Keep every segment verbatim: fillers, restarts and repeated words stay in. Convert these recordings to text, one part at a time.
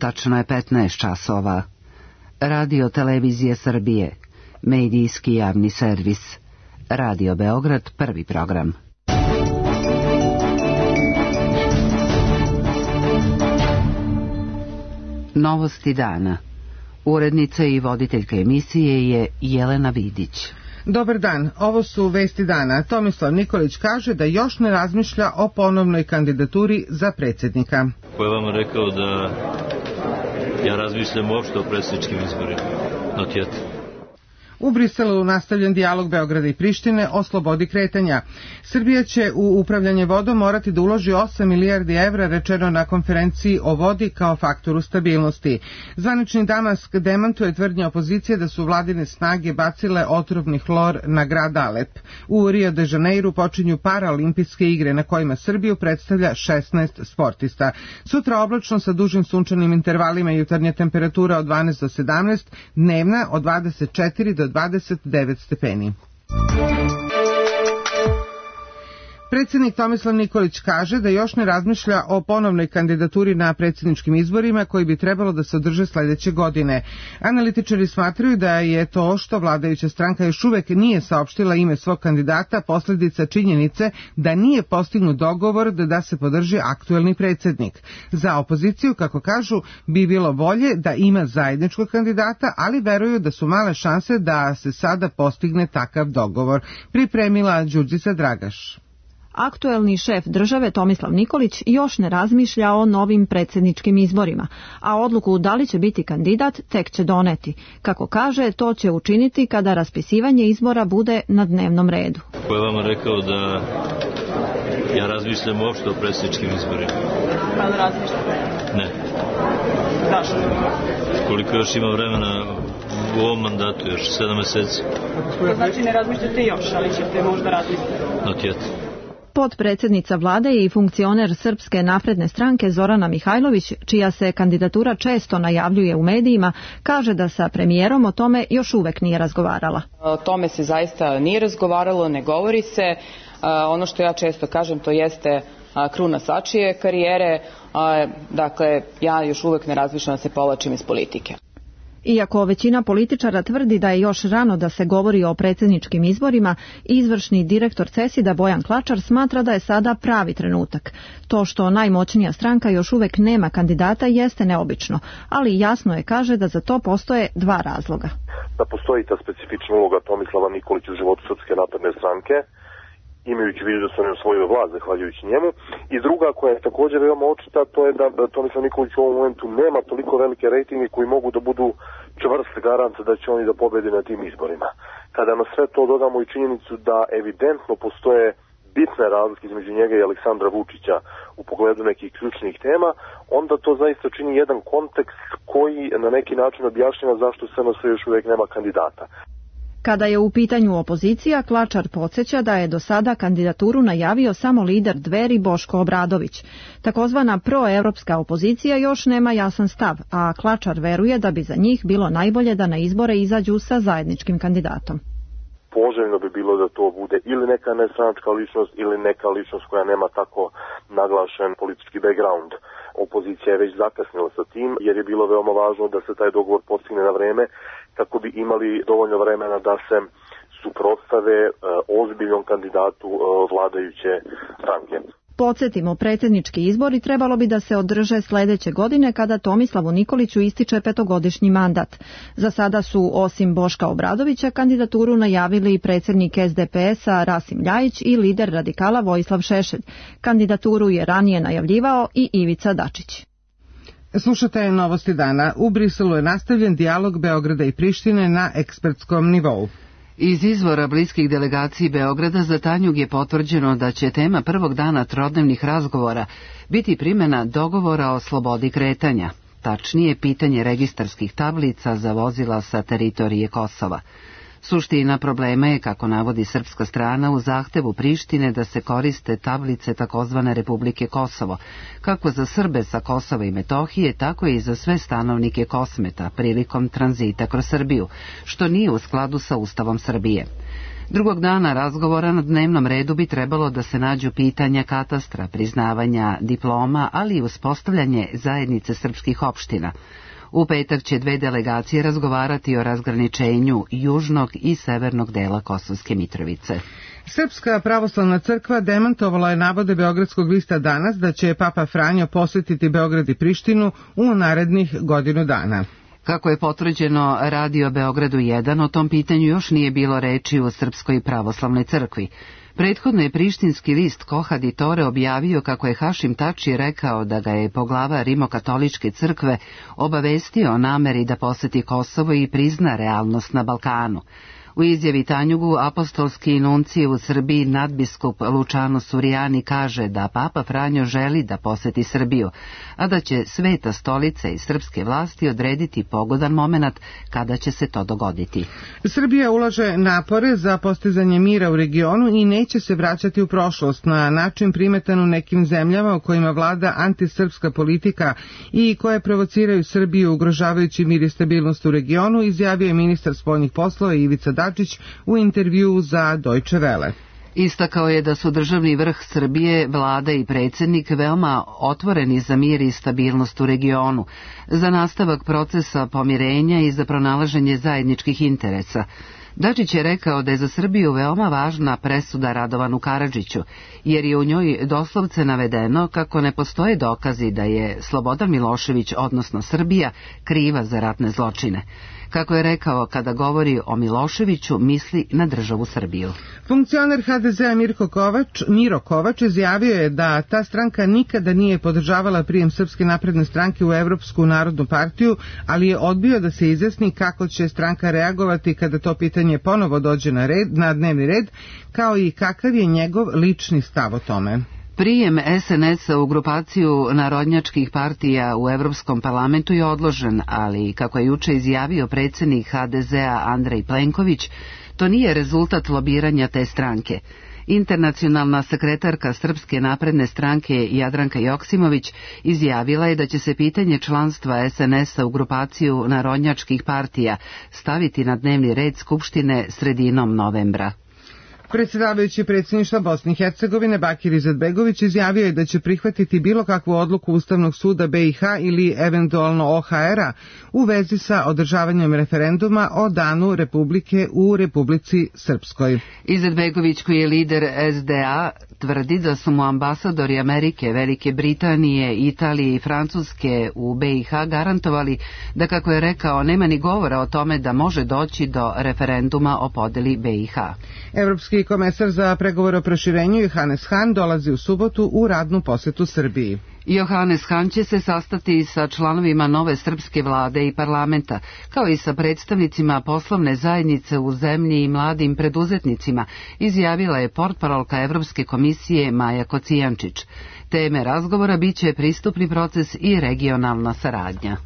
Tačno je petnaest časova. Radio Televizije Srbije, medijski javni servis. Radio Beograd, prvi program. Novosti dana. Urednica i voditeljka emisije je Jelena Vidić. Dobar dan, ovo su vesti dana. Tomislav Nikolić kaže da još ne razmišlja o ponovnoj kandidaturi za predsjednika. Ko je vama rekao da ja razmišljam uopšte o predsjedničkim izborima? Not yet. U Briselu nastavljen dijalog Beograda i Prištine o slobodi kretanja. Srbija će u upravljanje vodom morati da uloži osam milijardi evra, rečeno na konferenciji o vodi kao faktoru stabilnosti. Zvanični Damask demantuje tvrdnje opozicije da su vladine snage bacile otrovni hlor na grad Alep. U Rio de Janeiru počinju paraolimpijske igre na kojima Srbiju predstavlja šesnaest sportista. Sutra oblačno sa dužim sunčanim intervalima, jutarnja temperatura od dvanaest do sedamnaest, dnevna od dvadeset četiri do dvadeset devet stepeni. Predsjednik Tomislav Nikolić kaže da još ne razmišlja o ponovnoj kandidaturi na predsjedničkim izborima koji bi trebalo da se održe sljedeće godine. Analitičari smatraju da je to što vladajuća stranka još uvek nije saopštila ime svog kandidata posljedica činjenice da nije postignut dogovor da se podrži aktuelni predsjednik. Za opoziciju, kako kažu, bi bilo bolje da ima zajedničkog kandidata, ali veruju da su male šanse da se sada postigne takav dogovor. Pripremila Đurđica Dragaš. Aktuelni šef države Tomislav Nikolić još ne razmišlja o novim predsjedničkim izborima, a odluku da li će biti kandidat tek će doneti. Kako kaže, to će učiniti kada raspisivanje izbora bude na dnevnom redu. Ko je vama rekao da ja razmišljam uopšte o predsjedničkim izborima? Pa da razmišljate? Ne. Zašto? Koliko još ima vremena u ovom mandatu, još sedam meseci. To znači ne razmišljate još, ali ćete možda razmisliti. Not yet. Potpredsjednica vlade i funkcioner Srpske napredne stranke Zorana Mihajlović, čija se kandidatura često najavljuje u medijima, kaže da sa premijerom o tome još uvek nije razgovarala. O tome se zaista nije razgovaralo, ne govori se. Ono što ja često kažem, to jeste kruna sačije karijere. Dakle, ja još uvek ne razmišljam da se povlačim iz politike. Iako većina političara tvrdi da je još rano da se govori o predsjedničkim izborima, izvršni direktor CESID-a Bojan Klačar smatra da je sada pravi trenutak. To što najmoćnija stranka još uvek nema kandidata jeste neobično, ali jasno je, kaže, da za to postoje dva razloga. Da postoji ta specifična uloga Tomislava Nikolića u životu Srpske napredne stranke, imajući vidu da sam osvojio vlast zahvaljujući njemu, i druga koja je također veoma očita, to je da, da Tomislav Nikolić u ovom momentu nema toliko velike rejtinge koji mogu da budu čvrst garant da će oni da pobede na tim izborima. Kada na sve to dodamo i činjenicu da evidentno postoje bitne razlike između njega i Aleksandra Vučića u pogledu nekih ključnih tema, onda to zaista čini jedan kontekst koji na neki način objašnjava zašto S N S još uvijek nema kandidata. Kada je u pitanju opozicija, Klačar podsjeća da je do sada kandidaturu najavio samo lider Dveri Boško Obradović. Takozvana proevropska opozicija još nema jasan stav, a Klačar veruje da bi za njih bilo najbolje da na izbore izađu sa zajedničkim kandidatom. Poželjno bi bilo da to bude ili neka nestranačka ličnost ili neka ličnost koja nema tako naglašen politički background. Opozicija je već zakasnila sa tim jer je bilo veoma važno da se taj dogovor postigne na vreme kako bi imali dovoljno vremena da se suprotstave e, ozbiljnom kandidatu e, vladajuće stranke. Podsjetimo, predsjednički izbori trebalo bi da se održe sljedeće godine kada Tomislavu Nikoliću ističe petogodišnji mandat. Za sada su, osim Boška Obradovića, kandidaturu najavili i predsjednik S D P S-a Rasim Ljajić i lider radikala Vojislav Šešelj. Kandidaturu je ranije najavljivao i Ivica Dačić. Slušate Novosti dana. U Briselu je nastavljen dijalog Beograda i Prištine na ekspertskom nivou. Iz izvora bliskih delegaciji Beograda za Tanjug je potvrđeno da će tema prvog dana trodnevnih razgovora biti primjena dogovora o slobodi kretanja, tačnije pitanje registarskih tablica za vozila sa teritorije Kosova. Suština problema je, kako navodi srpska strana, u zahtevu Prištine da se koriste tablice takozvane Republike Kosovo, kako za Srbe sa Kosova i Metohije, tako i za sve stanovnike Kosmeta prilikom tranzita kroz Srbiju, što nije u skladu sa Ustavom Srbije. Drugog dana razgovora na dnevnom redu bi trebalo da se nađu pitanja katastra, priznavanja diploma, ali i uspostavljanje zajednice srpskih opština. U petak će dve delegacije razgovarati o razgraničenju južnog i severnog dela Kosovske Mitrovice. Srpska pravoslavna crkva demantovala je navode Beogradskog lista Danas da će Papa Franjo posjetiti Beograd i Prištinu u narednih godinu dana. Kako je potvrđeno Radio Beogradu jedan, o tom pitanju još nije bilo reči u Srpskoj pravoslavnoj crkvi. Prethodno je prištinski list Kohad i Tore objavio kako je Hašim Tači rekao da ga je poglava Rimokatoličke crkve obavestio o nameri da poseti Kosovo i prizna realnost na Balkanu. U izjavi Tanjugu apostolski nuncije u Srbiji nadbiskup Lučano Surijani kaže da Papa Franjo želi da poseti Srbiju, a da će Sveta stolica i srpske vlasti odrediti pogodan moment kada će se to dogoditi. Srbija ulaže napore za postizanje mira u regionu i neće se vraćati u prošlost na način primetan u nekim zemljama u kojima vlada antisrpska politika i koje provociraju Srbiju ugrožavajući mir i stabilnost u regionu, izjavio je ministar spoljnih poslova Ivica Dačić u intervjuu za Deutsche Welle. Istakao je da su državni vrh Srbije, vlada i predsjednik veoma otvoreni za mir i stabilnost u regionu, za nastavak procesa pomirenja i za pronalaženje zajedničkih interesa. Dačić je rekao da je za Srbiju veoma važna presuda Radovanu Karadžiću, jer je u njoj doslovce navedeno kako ne postoje dokazi da je Slobodan Milošević, odnosno Srbija, kriva za ratne zločine. Kako je rekao, kada govori o Miloševiću, misli na državu Srbiju. Funkcioner ha de zea Mirko Kovač, Miro Kovač izjavio je da ta stranka nikada nije podržavala prijem Srpske napredne stranke u Evropsku narodnu partiju, ali je odbio da se izjasni kako će stranka reagovati kada to pitanje ponovo dođe na, red, na dnevni red, kao i kakav je njegov lični stav o tome. Prijem es en es-a u grupaciju narodnjačkih partija u Evropskom parlamentu je odložen, ali, kako je juče izjavio predsjednik ha de zea Andrej Plenković, to nije rezultat lobiranja te stranke. Internacionalna sekretarka Srpske napredne stranke Jadranka Joksimović izjavila je da će se pitanje članstva es en es-a u grupaciju narodnjačkih partija staviti na dnevni red Skupštine sredinom novembra. Predsjedavajući predsjedništva Bosne i Hercegovine Bakir Izetbegović izjavio je da će prihvatiti bilo kakvu odluku Ustavnog suda be i ha ili eventualno o ha era u vezi sa održavanjem referenduma o danu Republike u Republici Srpskoj. Izetbegović, koji je lider es de a, tvrdi da su mu ambasadori Amerike, Velike Britanije, Italije i Francuske u be i ha garantovali da, kako je rekao, nema ni govora o tome da može doći do referenduma o podeli be i ha. Evropski komesar za pregovore o proširenju Johannes Hahn dolazi u subotu u radnu posjetu Srbiji. Johannes Hahn će se sastati sa članovima nove srpske vlade i parlamenta, kao i sa predstavnicima poslovne zajednice u zemlji i mladim preduzetnicima, izjavila je portparolka Evropske komisije Maja Kocijančić. Teme razgovora biće pristupni proces i regionalna saradnja.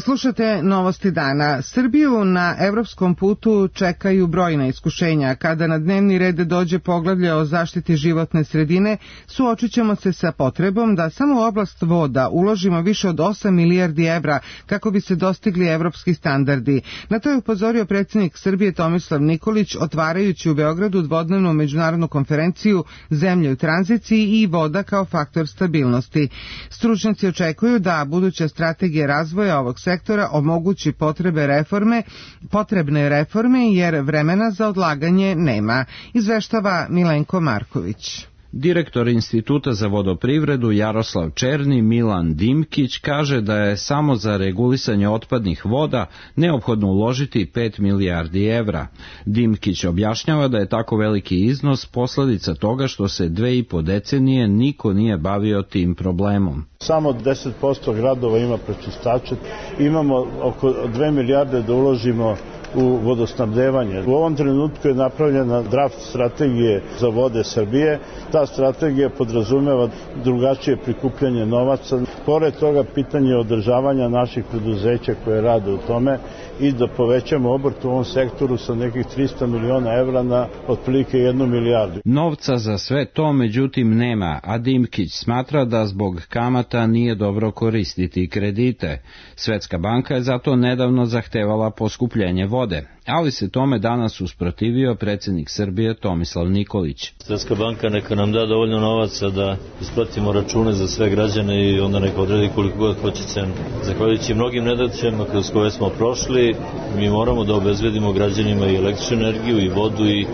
Slušate novosti dana. Srbiju na evropskom putu čekaju brojna iskušenja. Kada na dnevni red dođe poglavlje o zaštiti životne sredine, suočit ćemo se sa potrebom da samo u oblast voda uložimo više od osam milijardi evra kako bi se dostigli evropski standardi. Na to je upozorio predsjednik Srbije Tomislav Nikolić, otvarajući u Beogradu dvodnevnu međunarodnu konferenciju Zemlje u tranziciji i voda kao faktor stabilnosti. Stručnjaci očekuju da buduća strategija razvoja ovog sektora omogući potrebe reforme, potrebne reforme jer vremena za odlaganje nema, izveštava Milenko Marković. Direktor Instituta za vodoprivredu Jaroslav Černi Milan Dimkić kaže da je samo za regulisanje otpadnih voda neophodno uložiti pet milijardi evra. Dimkić objašnjava da je tako veliki iznos posljedica toga što se dve i po decenije niko nije bavio tim problemom. Samo deset posto gradova ima prečistače, imamo oko dve milijarde da uložimo u vodosnabdevanje. U ovom trenutku je napravljena draft strategije za vode Srbije. Ta strategija podrazumeva drugačije prikupljanje novaca. Pored toga, pitanje održavanja naših preduzeća koje rade u tome i da povećamo obrt u ovom sektoru sa nekih trista miliona evra na otprilike jednu milijardu. Novca za sve to međutim nema, a Dimkić smatra da zbog kamata nije dobro koristiti kredite. Svetska banka je zato nedavno zahtevala poskupljenje vode, ali se tome danas usprotivio predsjednik Srbije Tomislav Nikolić. Svetska banka neka nam da dovoljno novaca da isplatimo račune za sve građane i onda neka odredi koliko god hoće cenu. Zahvaljujući mnogim nedaćama kroz koje smo prošli, mi moramo da obezbedimo građanima i električnu energiju i vodu i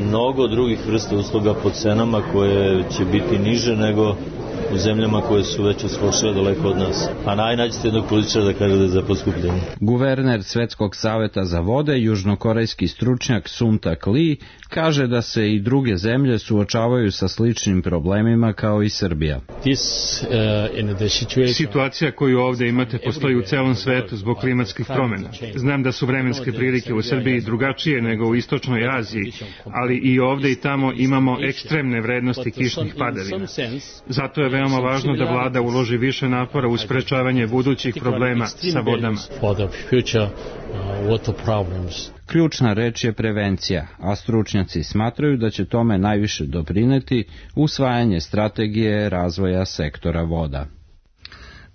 mnogo drugih vrsta usluga po cenama koje će biti niže nego u zemljama koje su već uskočile daleko od nas. A najnađete jednog političara da kaže da je za poskupljenje. Guverner Svetskog saveta za vode, južnokorejski stručnjak Sun Tak Lee, kaže da se i druge zemlje suočavaju sa sličnim problemima kao i Srbija. Situacija koju ovdje imate postoji u celom svetu zbog klimatskih promjena. Znam da su vremenske prilike u Srbiji drugačije nego u istočnoj Aziji, ali i ovdje i tamo imamo ekstremne vrednosti kišnih padavina. Zato je veoma važno da vlada uloži više napora u sprečavanje budućih problema sa vodama. Ključna reč je prevencija, a stručnjaci smatraju da će tome najviše doprineti usvajanje strategije razvoja sektora voda.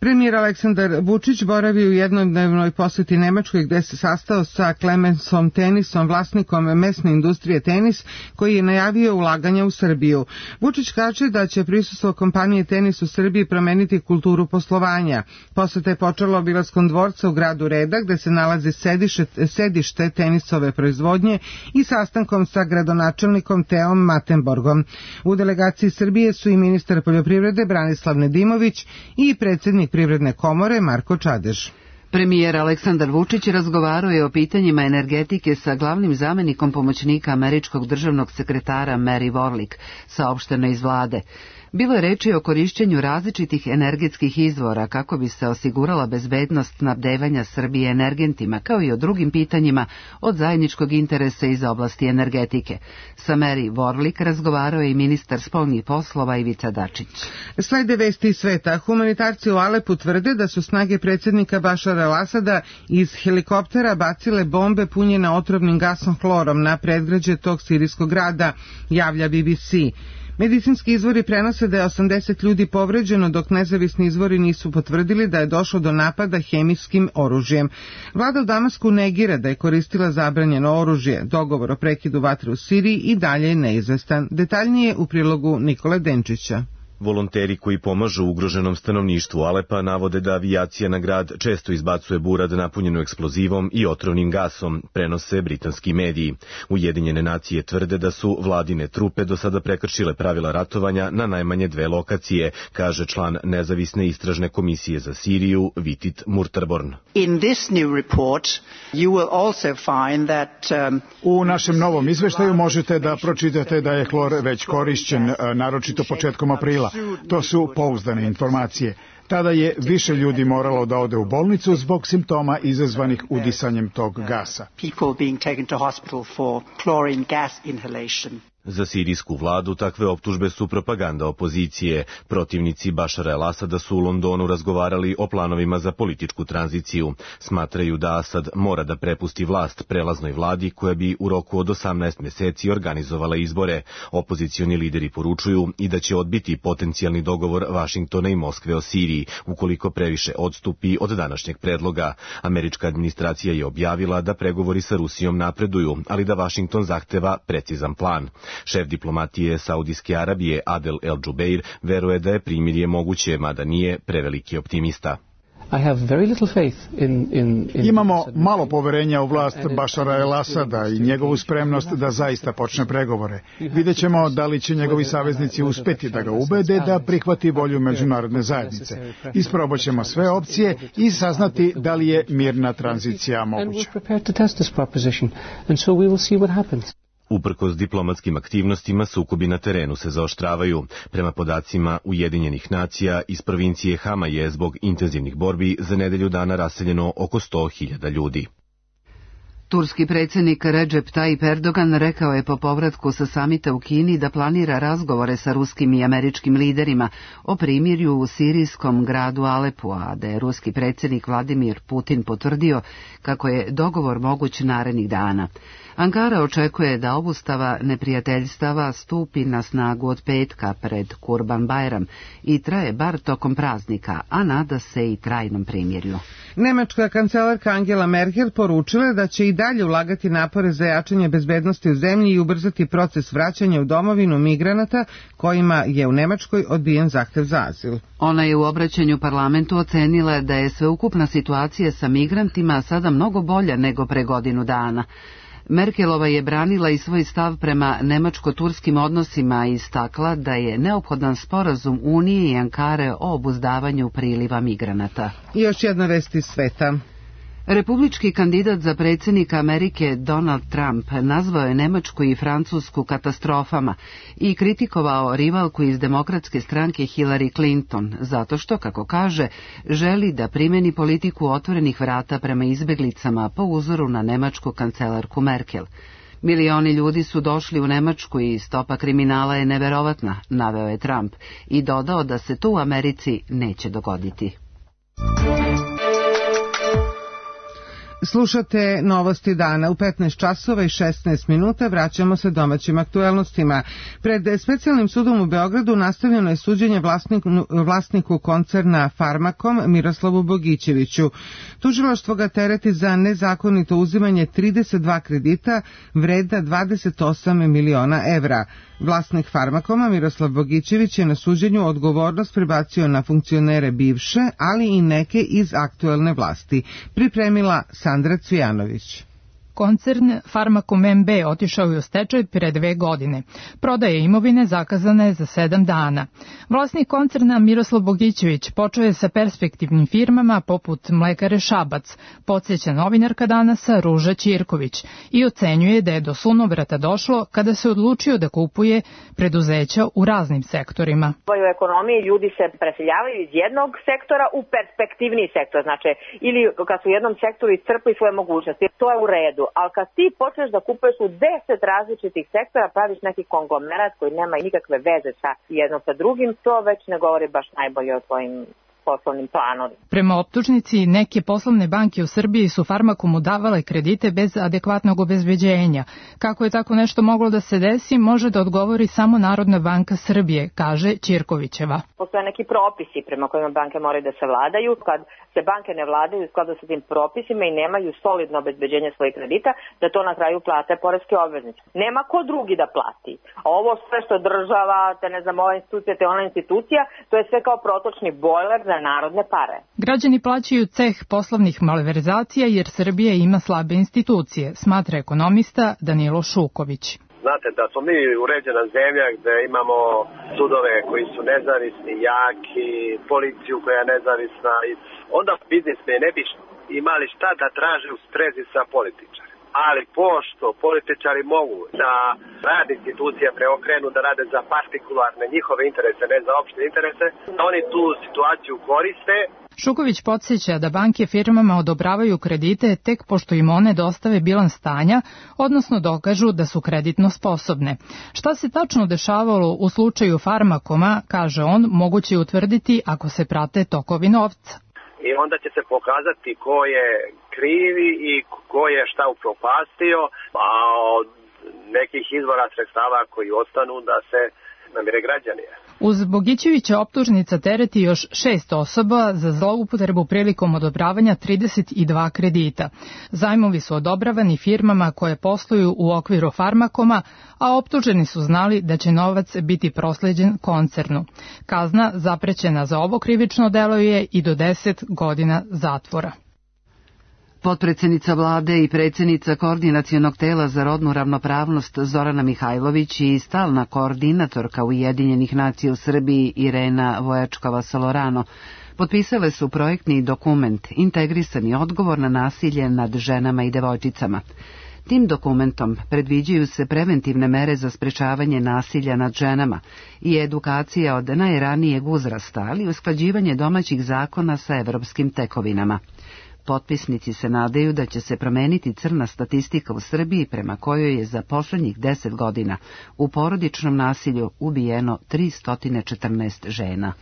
Premijer Aleksandar Vučić boravi u jednodnevnoj posjeti Nemačkoj gde se sastao sa Clemensom Tenisom, vlasnikom mesne industrije Tenis, koji je najavio ulaganja u Srbiju. Vučić kaže da će prisustvo kompanije Tenis u Srbiji promeniti kulturu poslovanja. Posjeta je počela obilaskom dvorca u gradu Reda gde se nalazi sedište, sedište tenisove proizvodnje i sastankom sa gradonačelnikom Teom Matenborgom. U delegaciji Srbije su i ministar poljoprivrede Branislav Nedimović i predsjednik Privredne komore Marko Čadež. Premijer Aleksandar Vučić razgovarao je o pitanjima energetike sa glavnim zamenikom pomoćnika američkog državnog sekretara Mary Warlick, saopšteno iz vlade. Bilo je reči o korišćenju različitih energetskih izvora kako bi se osigurala bezbednost snabdevanja Srbije energentima, kao i o drugim pitanjima od zajedničkog interesa iz oblasti energetike. Sa Mary Warlick razgovarao je i ministar spoljnih poslova Ivica Dačić. Slede vesti iz sveta. Humanitarci u Alepu tvrde da su snage predsjednika Bašara el-Asada iz helikoptera bacile bombe punjene otrovnim gasom hlorom na predgrađe tog sirijskog grada, javlja B B C. Medicinski izvori prenose da je osamdeset ljudi povređeno, dok nezavisni izvori nisu potvrdili da je došlo do napada hemijskim oružjem. Vlada u Damasku negira da je koristila zabranjeno oružje. Dogovor o prekidu vatre u Siriji i dalje je neizvestan. Detaljnije u prilogu Nikole Denčića. Volonteri koji pomažu ugroženom stanovništvu Alepa navode da avijacija na grad često izbacuje burad napunjenu eksplozivom i otrovnim gasom, prenose britanski mediji. Ujedinjene nacije tvrde da su vladine trupe do sada prekršile pravila ratovanja na najmanje dve lokacije, kaže član nezavisne istražne komisije za Siriju Vitit Murtarborn. In this new report you will also find that um, U našem novom izveštaju možete da pročitate da je hlor već korišćen, naročito početkom aprila. To su pouzdane informacije. Tada je više ljudi moralo da ode u bolnicu zbog simptoma izazvanih udisanjem tog gasa. Za sirijsku vladu takve optužbe su propaganda opozicije. Protivnici Bašara el-Asada su u Londonu razgovarali o planovima za političku tranziciju. Smatraju da Asad mora da prepusti vlast prelaznoj vladi koja bi u roku od osamnaest meseci organizovala izbore. Opozicioni lideri poručuju i da će odbiti potencijalni dogovor Vašingtona i Moskve o Siriji, ukoliko previše odstupi od današnjeg predloga. Američka administracija je objavila da pregovori sa Rusijom napreduju, ali da Vašington zahteva precizan plan. Šef diplomatije Saudijske Arabije Adel El-Džubeir veruje da je primirje moguće, mada nije preveliki optimista. Imamo malo poverenja u vlast Bašara el-Asada i njegovu spremnost da zaista počne pregovore. Vidjet ćemo da li će njegovi saveznici uspeti da ga ubede da prihvati volju međunarodne zajednice. Isprobat ćemo sve opcije i saznati da li je mirna tranzicija moguća. Uprkos diplomatskim aktivnostima, sukobi na terenu se zaoštravaju. Prema podacima Ujedinjenih nacija, iz provincije Hama je zbog intenzivnih borbi za nedelju dana raseljeno oko sto hiljada ljudi. Turski predsjednik Recep Tayyip Erdogan rekao je po povratku sa samita u Kini da planira razgovore sa ruskim i američkim liderima o primirju u sirijskom gradu Alepu, a da je ruski predsjednik Vladimir Putin potvrdio kako je dogovor moguć narednih dana. Ankara očekuje da obustava neprijateljstava stupi na snagu od petka pred Kurban Bajram i traje bar tokom praznika, a nada se i trajnom primirju. Nemačka kancelarka Angela Merkel poručila da će i dalje ulagati napore za jačanje bezbednosti u zemlji i ubrzati proces vraćanja u domovinu migranata kojima je u Nemačkoj odbijen zahtev za azil. Ona je u obraćanju parlamentu ocenila da je sveukupna situacija sa migrantima sada mnogo bolja nego pre godinu dana. Merkelova je branila i svoj stav prema nemačko-turskim odnosima i istakla da je neophodan sporazum Unije i Ankare o obuzdavanju priliva migranata. I još jedna vest iz sveta. Republički kandidat za predsjednika Amerike Donald Trump nazvao je Nemačku i Francusku katastrofama i kritikovao rivalku iz demokratske stranke Hillary Clinton, zato što, kako kaže, želi da primeni politiku otvorenih vrata prema izbjeglicama po uzoru na nemačku kancelarku Merkel. Milioni ljudi su došli u Nemačku i stopa kriminala je neverovatna, naveo je Trump i dodao da se to u Americi neće dogoditi. Slušate novosti dana u petnaest časova i šesnaest minuta. Vraćamo se domaćim aktuelnostima. Pred specijalnim sudom u Beogradu nastavljeno je suđenje vlasniku, vlasniku koncerna Farmakom Miroslavu Bogićeviću. Tužilaštvo ga tereti za nezakonito uzimanje trideset dva kredita vredna dvadeset osam miliona evra. Vlasnik Farmakoma Miroslav Bogićević je na suđenju odgovornost prebacio na funkcionere bivše, ali i neke iz aktuelne vlasti. Pripremila Sandra Cvijanović. Koncern Farmakom M B otišao je u stečaj pre dve godine. Prodaja imovine zakazana je za sedam dana. Vlasnik koncerna Miroslav Bogićević počeo je sa perspektivnim firmama poput Mlekare Šabac, podsjeća novinarka Danasa Ruža Ćirković, i ocenjuje da je do sunovrata došlo kada se odlučio da kupuje preduzeća u raznim sektorima. U ekonomiji ljudi se preseljavaju iz jednog sektora u perspektivni sektor, znači ili kad su u jednom sektoru iscrpili svoje mogućnosti, to je u redu. Ali kad ti počneš da kupuješ u deset različitih sektora, praviš neki konglomerat koji nema nikakve veze sa jednom sa drugim, to već ne govori baš najbolje o tvojim poslovnim planovima. Prema optužnici, neke poslovne banke u Srbiji su Farmakomu davale kredite bez adekvatnog obezbeđenja. Kako je tako nešto moglo da se desi, može da odgovori samo Narodna banka Srbije, kaže Ćirkovićeva. Postoje neki propisi prema kojima banke moraju da se vladaju. Kad se banke ne vladaju u skladu sa tim propisima i nemaju solidno obezbeđenje svojih kredita, da to na kraju plate poreske obveznice. Nema ko drugi da plati. A ovo sve što država, te ne znam, ova institucija, te ona institucija, to je sve kao protočni bojler za narodne pare. Građani plaćaju ceh poslovnih malverzacija jer Srbija ima slabe institucije, smatra ekonomista Danilo Šuković. Znate da smo mi uređena zemlja gde imamo sudove koji su nezavisni, jaki, policiju koja je nezavisna i onda biznismeni ne bi imali šta da traže u sprezi sa političarima. Ali pošto političari mogu da rad institucija preokrenu, da rade za partikularne njihove interese, ne za opšte interese, oni tu situaciju koriste. Šuković podsjeća da banke firmama odobravaju kredite tek pošto im one dostave bilans stanja, odnosno dokažu da su kreditno sposobne. Šta se tačno dešavalo u slučaju Farmakoma, kaže on, moguće je utvrditi ako se prate tokovi novca. I onda će se pokazati ko je krivi i ko je šta upropastio, a od nekih izvora sredstava koji ostanu da se namire građanije. Uz Bogićevića optužnica tereti još šest osoba za zloupotrebu prilikom odobravanja trideset dva kredita. Zajmovi su odobravani firmama koje posluju u okviru Farmakoma, a optuženi su znali da će novac biti prosleđen koncernu. Kazna zaprećena za ovo krivično delo je i do deset godina zatvora. Potpredsjednica vlade i predsjednica Koordinacionog tela za rodnu ravnopravnost Zorana Mihajlović i stalna koordinatorka Ujedinjenih nacija u Srbiji Irena Vojačkova-Solorano potpisale su projektni dokument Integrisani odgovor na nasilje nad ženama i devojčicama. Tim dokumentom predviđaju se preventivne mere za sprečavanje nasilja nad ženama i edukacija od najranijeg uzrasta, ali i usklađivanje domaćih zakona sa evropskim tekovinama. Potpisnici se nadaju da će se promeniti crna statistika u Srbiji prema kojoj je za poslednjih deset godina u porodičnom nasilju ubijeno tristo četrnaest žena.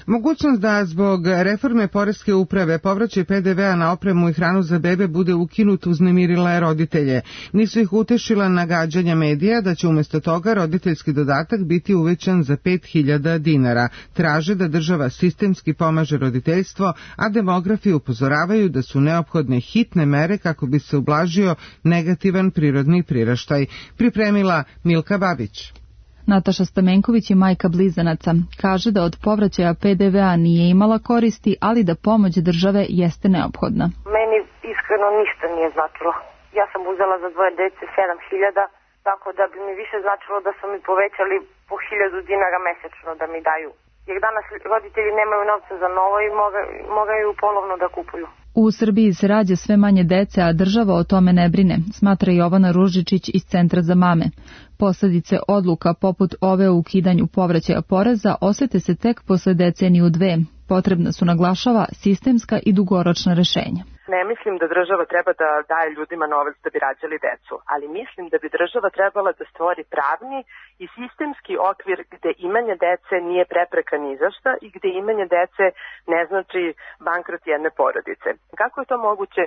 Mogućnost da zbog reforme poreske uprave povraćaj pe de vea na opremu i hranu za bebe bude ukinut uznemirila je roditelje. Nisu ih utešila nagađanja medija da će umjesto toga roditeljski dodatak biti uvećan za pet hiljada dinara. Traže da država sistemski pomaže roditeljstvo, a demografi upozoravaju da su neophodne hitne mere kako bi se ublažio negativan prirodni priraštaj. Pripremila Milka Babić. Nataša Stamenković je majka blizanaca. Kaže da od povraćaja pe de vea nije imala koristi, ali da pomoć države jeste neophodna. Meni iskreno ništa nije značilo. Ja sam uzela za dvoje dece sedam hiljada, tako da bi mi više značilo da su mi povećali po hiljadu dinara mesečno da mi daju. Jer danas roditelji nemaju novca za novo i moraju polovno da kupuju. U Srbiji se rađa sve manje dece, a država o tome ne brine, smatra Jovana Ružičić iz Centra za mame. Posledice odluka poput ove o ukidanju povraćaja poreza osete se tek posle deceniju dve. Potrebna su, naglašava, sistemska i dugoročna rešenja. Ne mislim da država treba da daje ljudima novac da bi rađali decu, ali mislim da bi država trebala da stvori pravni i sistemski okvir gde imanje dece nije prepreka ni za šta i gde imanje dece ne znači bankrot jedne porodice. Kako je to moguće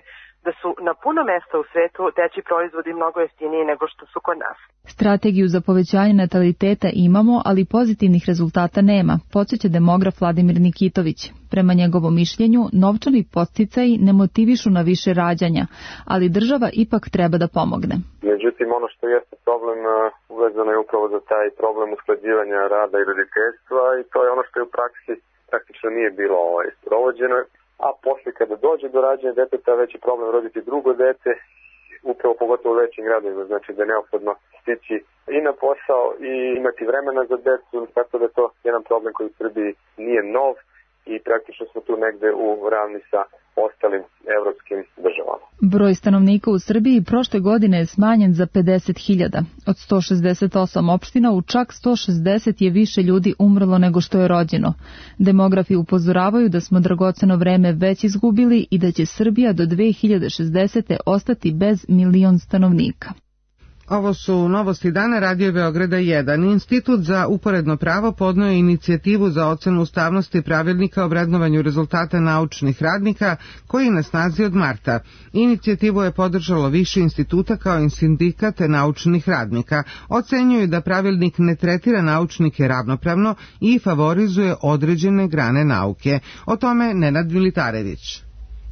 da su na puno mesta u svetu dečji proizvodi mnogo jeftiniji nego što su kod nas? Strategiju za povećanje nataliteta imamo, ali pozitivnih rezultata nema, podsjeća demograf Vladimir Nikitović. Prema njegovom mišljenju, novčani podsticaji ne motivišu na više rađanja, ali država ipak treba da pomogne. Međutim, ono što jeste problem uvezano je upravo za taj problem usklađivanja rada i roditeljstva i to je ono što je u praksi praktično nije bilo ovaj, sprovođeno, a posle kada dođe do rađanja deteta već je problem roditi drugo dete, upravo pogotovo u većim gradovima, znači da je neophodno stići i na posao i imati vremena za decu, tako da je to jedan problem koji u Srbiji nije nov i praktično smo tu negde u ravni sa ostalim evropskim državama. Broj stanovnika u Srbiji prošle godine je smanjen za pedeset hiljada. Od sto šezdeset osam opština u čak sto šezdeset je više ljudi umrlo nego što je rođeno. Demografi upozoravaju da smo dragoceno vreme već izgubili i da će Srbija do dve hiljade šezdesete ostati bez milion stanovnika. Ovo su novosti dana Radio Beograda jedan. Institut za uporedno pravo podneo je inicijativu za ocenu ustavnosti pravilnika o vrednovanju rezultata naučnih radnika koji je na snazi od marta. Inicijativu je podržalo više instituta kao i sindikat naučnih radnika. Ocenjuju da pravilnik ne tretira naučnike ravnopravno i favorizuje određene grane nauke. O tome Nenad Militarević.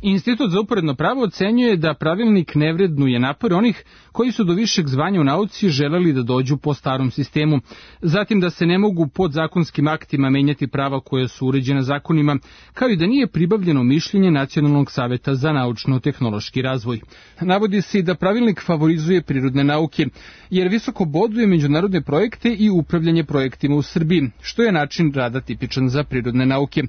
Institut za uporedno pravo ocenjuje da pravilnik ne vrednuje napor onih koji su do višeg zvanja u nauci želeli da dođu po starom sistemu, zatim da se ne mogu podzakonskim aktima menjati prava koja su uređena zakonima, kao i da nije pribavljeno mišljenje Nacionalnog saveta za naučno-tehnološki razvoj. Navodi se i da pravilnik favorizuje prirodne nauke, jer visoko boduje međunarodne projekte i upravljanje projektima u Srbiji, što je način rada tipičan za prirodne nauke.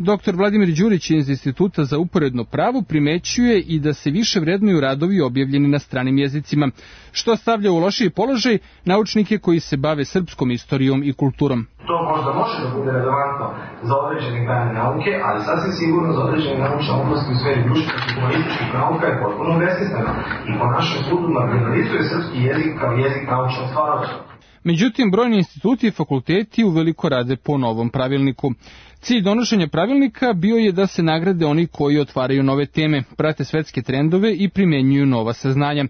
Doktor Vladimir Đurić iz Instituta za uporedno pravo primećuje i da se više vrednuju radovi objavljeni na stranim jezicima, što stavlja u lošiji položaj naučnike koji se bave srpskom istorijom i kulturom. To možda može da bude relevantno za određene grane nauke, ali sasvim sigurno za određene naučne oblasti u sferi društvenih i humanističkih nauka je potpuno besmisleno i po našem sudu marginalizuje srpski jezik kao jezik naučnog stvaralaštva. Međutim, brojni instituti i fakulteti uveliko rade po novom pravilniku. Cilj donošenja pravilnika bio je da se nagrade oni koji otvaraju nove teme, prate svetske trendove i primenjuju nova saznanja.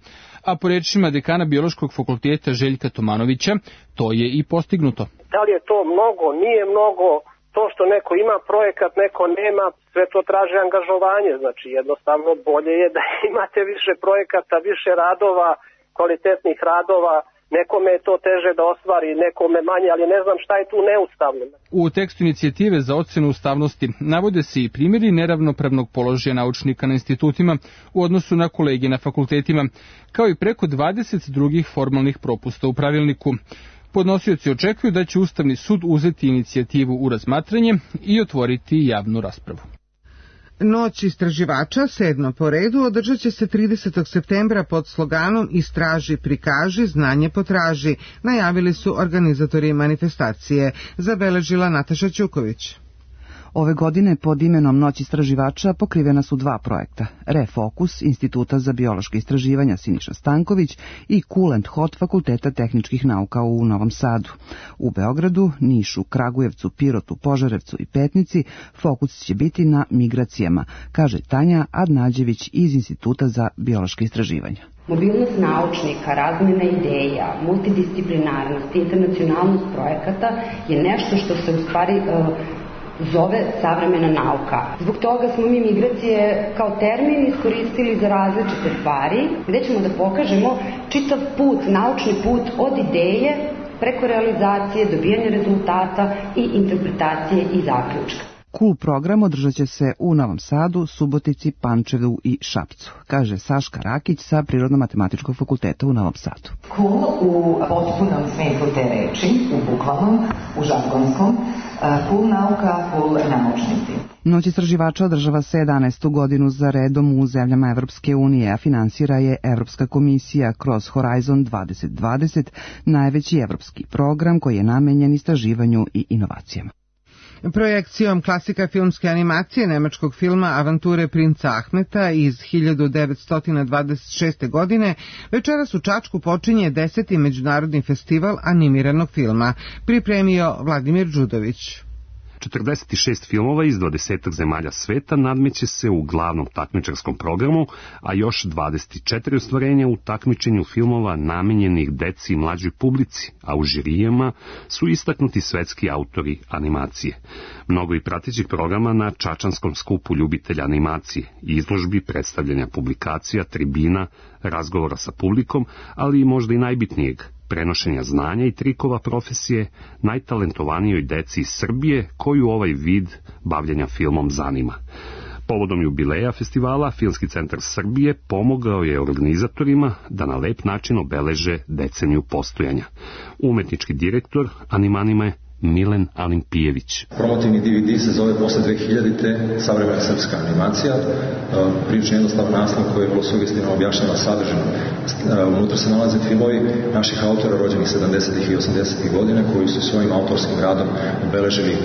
A po rečima dekana Biološkog fakulteta Željka Tomanovića, to je i postignuto. Da li je to mnogo, nije mnogo, to što neko ima projekat, neko nema, sve to traži angažovanje. Znači jednostavno bolje je da imate više projekata, više radova, kvalitetnih radova. Nekome je to teže da ostvari, nekome manje, ali ne znam šta je tu neustavno. U tekstu inicijative za ocenu ustavnosti navode se i primjeri neravnopravnog položaja naučnika na institutima u odnosu na kolege na fakultetima, kao i preko dvadeset drugih formalnih propusta u pravilniku. Podnosioci očekuju da će Ustavni sud uzeti inicijativu u razmatranje i otvoriti javnu raspravu. Noć istraživača, sedma po redu, održat će se tridesetog septembra pod sloganom Istraži, prikaži, znanje potraži, najavili su organizatori manifestacije, zabeležila Nataša Ćuković. Ove godine pod imenom Noć istraživača pokrivena su dva projekta, Refokus Instituta za biološke istraživanja Siniša Stanković i Cool and Hot Fakulteta tehničkih nauka u Novom Sadu. U Beogradu, Nišu, Kragujevcu, Pirotu, Požarevcu i Petnici fokus će biti na migracijama, kaže Tanja Adnađević iz Instituta za biološke istraživanja. Mobilnost naučnika, razmjena ideja, multidisciplinarnost, internacionalnost projekata je nešto što se u stvari uh, zove savremena nauka. Zbog toga smo mi migracije kao termin iskoristili za različite stvari, gde ćemo da pokažemo čitav put, naučni put od ideje preko realizacije, dobijanja rezultata i interpretacije i zaključka. Cool program održat će se u Novom Sadu, Subotici, Pančevu i Šapcu, kaže Saška Rakić sa Prirodno-matematičkog fakulteta u Novom Sadu. Cool u potpunom smislu te reči, u bukvalnom, u žargonskom, cool nauka, cool naučnici. Noć istraživača održava se jedanaestu godinu za redom u zemljama Evropske unije, a finansira je Evropska komisija kroz Horizon dvadeset dvadeset, najveći evropski program koji je namenjen istraživanju i inovacijama. Projekcijom klasika filmske animacije nemačkog filma Avanture princa Ahmeta iz hiljadu devetsto dvadeset šeste. godine večeras u Čačku počinje deseti međunarodni festival animiranog filma, pripremio Vladimir Đudović. četrdeset šest filmova iz dvadeset zemalja sveta nadmeće se u glavnom takmičarskom programu, a još dvadeset četiri ostvarenja u takmičenju filmova namenjenih deci i mlađoj publici, a u žirijama su istaknuti svetski autori animacije. Mnogo i pratećih programa na Čačanskom skupu ljubitelja animacije, izložbi, predstavljanja publikacija, tribina, razgovora sa publikom, ali i možda i najbitnijeg, prenošenja znanja i trikova profesije najtalentovanijoj deci iz Srbije koju ovaj vid bavljenja filmom zanima. Povodom jubileja festivala, Filmski centar Srbije pomogao je organizatorima da na lep način obeleže deceniju postojanja. Umetnički direktor Animanima je Milen Alimpijević. Promotivni D V D se zove Posle dve hiljadite savremena srpska animacija. Prilično jednostavan naslov koji je vrlo sugestivno objašnjava sadržinu. Unutra se nalaze filmovi naših autora rođenih sedamdesetih i osamdesetih godina koji su svojim autorskim radom obeležili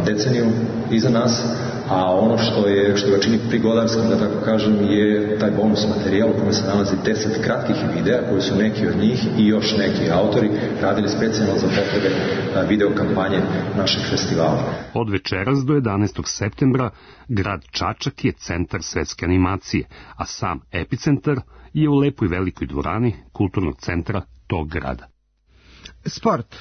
deceniju iza nas, a ono što je što ga čini prigodarskim, da tako kažem, je taj bonus materijal u kojem se nalazi deset kratkih videa koji su neki od njih i još neki autori radili specijalno za potrebe video kampanje našeg festivala. Od večeras do jedanaestog septembra grad Čačak je centar svetske animacije, a sam epicentar je u lepoj velikoj dvorani kulturnog centra tog grada. Sport.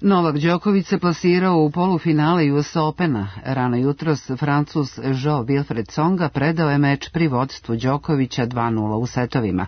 Novak Đoković se plasirao u polufinale U S Opena. Rano jutros Francuz Jean-Wilfried Tsonga predao je meč pri vodstvu Đokovića dva nula u setovima.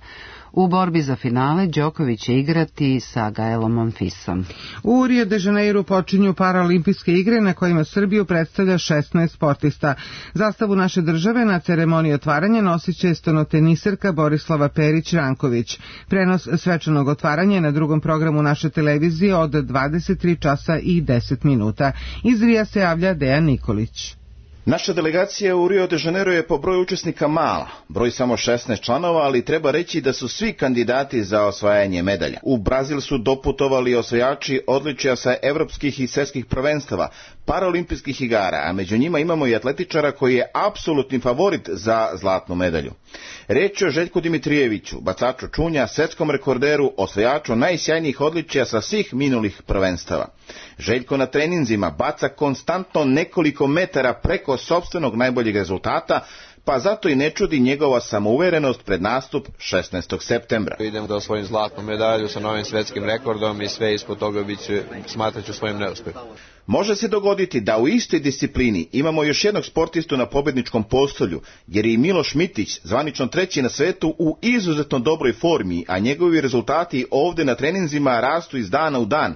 U borbi za finale Đoković će igrati sa Gaelom Monfisom. U Rio de Janeiru počinju paraolimpijske igre na kojima Srbiju predstavlja šesnaest sportista. Zastavu naše države na ceremoniji otvaranja nosit će stonoteniserka Borislava Perić-Ranković. Prenos svečanog otvaranja na drugom programu naše televizije od dvadeset tri časa i deset minuta. Iz Rija se javlja Dejan Nikolić. Naša delegacija u Rio de Janeiro je po broju učesnika mala, broj samo šesnaest članova, ali treba reći da su svi kandidati za osvajanje medalja. U Brazil su doputovali osvajači odličja sa evropskih i svetskih prvenstava, paraolimpijskih igara, a među njima imamo i atletičara koji je apsolutni favorit za zlatnu medalju. Reč je o Željku Dimitrijeviću, bacaču čunja, svetskom rekorderu, osvajaču najsjajnijih odličja sa svih minulih prvenstava. Željko na treninzima baca konstantno nekoliko metara preko sopstvenog najboljeg rezultata, pa zato i ne čudi njegova samouverenost pred nastup šesnaestog septembra. Idem da osvojim zlatnu medalju sa novim svetskim rekordom i sve ispod toga biću, smatraću svojim neuspehom. Može se dogoditi da u istoj disciplini imamo još jednog sportistu na pobedničkom postolju, jer je i Miloš Mitić, zvanično treći na svetu, u izuzetno dobroj formi, a njegovi rezultati ovde na treninzima rastu iz dana u dan.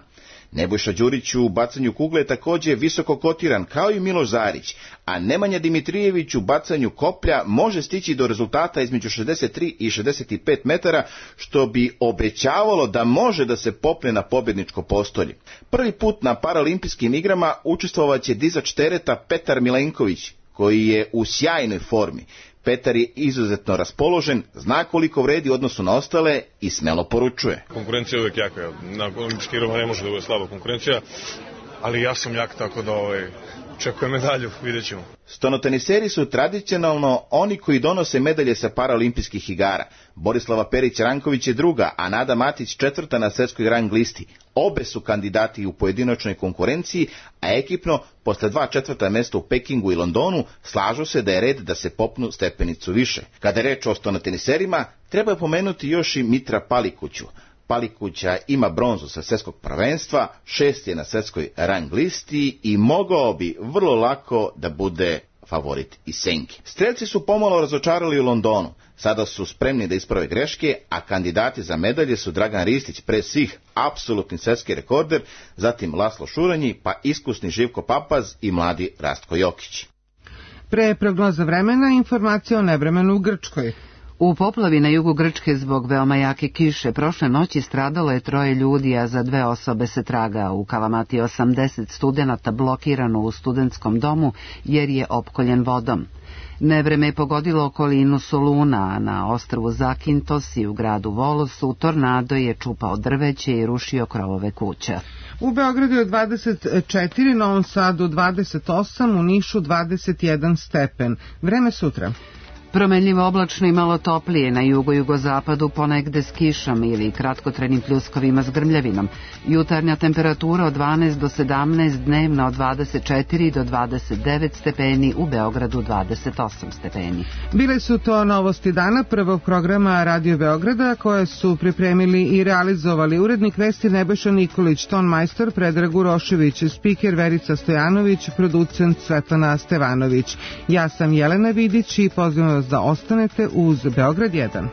Nebojša Đurić u bacanju kugle je također visoko kotiran, kao i Miloš Zarić, a Nemanja Dimitrijević u bacanju koplja može stići do rezultata između šezdeset tri i šezdeset pet metara, što bi obećavalo da može da se popne na pobjedničko postolje. Prvi put na paraolimpijskim igrama učestvovaće dizač tereta Petar Milenković, koji je u sjajnoj formi. Petar je izuzetno raspoložen, zna koliko vredi u odnosu na ostale i smelo poručuje. Konkurencija je uvijek jaka, na olimpijskim igrama ne može da bude slaba konkurencija, ali ja sam jak, tako da ovaj, Očekujem medalju, vidjet ćemo. Stonoteniseri su tradicionalno oni koji donose medalje sa paraolimpijskih igara. Borislava Perić-Ranković je druga, a Nada Matić četvrta na svetskoj rang listi. Obe su kandidati u pojedinačnoj konkurenciji, a ekipno, posle dva četvrta mesta u Pekingu i Londonu, slažu se da je red da se popnu stepenicu više. Kada je reč o stonoteniserima, treba pomenuti još i Mitra Palikuću. Palikuća ima bronzu sa svetskog prvenstva, šest je na svetskoj rang listi i mogao bi vrlo lako da bude favorit i senki. Strelci su pomalo razočarali u Londonu. Sada su spremni da isprave greške, a kandidati za medalje su Dragan Ristić, pre svih apsolutni svetski rekorder, zatim Laslo Šuranji, pa iskusni Živko Papaz i mladi Rastko Jokić. Pre prognoza vremena, informacija o nevremenu u Grčkoj. U poplavi na jugu Grčke zbog veoma jake kiše prošle noći stradalo je troje ljudi, a za dve osobe se traga. U Kalamati osamdeset studenata blokirano u studentskom domu jer je opkoljen vodom. Nevreme je pogodilo okolinu Soluna, a na ostrvu Zakintos i u gradu Volosu tornado je čupao drveće i rušio krovove kuća. U Beogradu je dvadeset četiri, Novom Sadu dvadeset osam, u Nišu dvadeset jedan stepen. Vreme sutra. Promenljivo oblačno i malo toplije, na jugo-jugozapadu ponegde s kišom ili kratkotrenim pljuskovima s grmljavinom. Jutarnja temperatura od dvanaest do sedamnaest, dnevna od dvadeset četiri do dvadeset devet stepeni, u Beogradu dvadeset osam stepeni. Bile su to novosti dana prvog programa Radio Beograda, koje su pripremili i realizovali urednik vesti Nebojša Nikolić, ton majstor Predrag Urošević, spiker Verica Stojanović, producent Svetlana Stevanović. Ja sam Jelena Vidić i pozivam vas da ostanete uz Beograd jedan.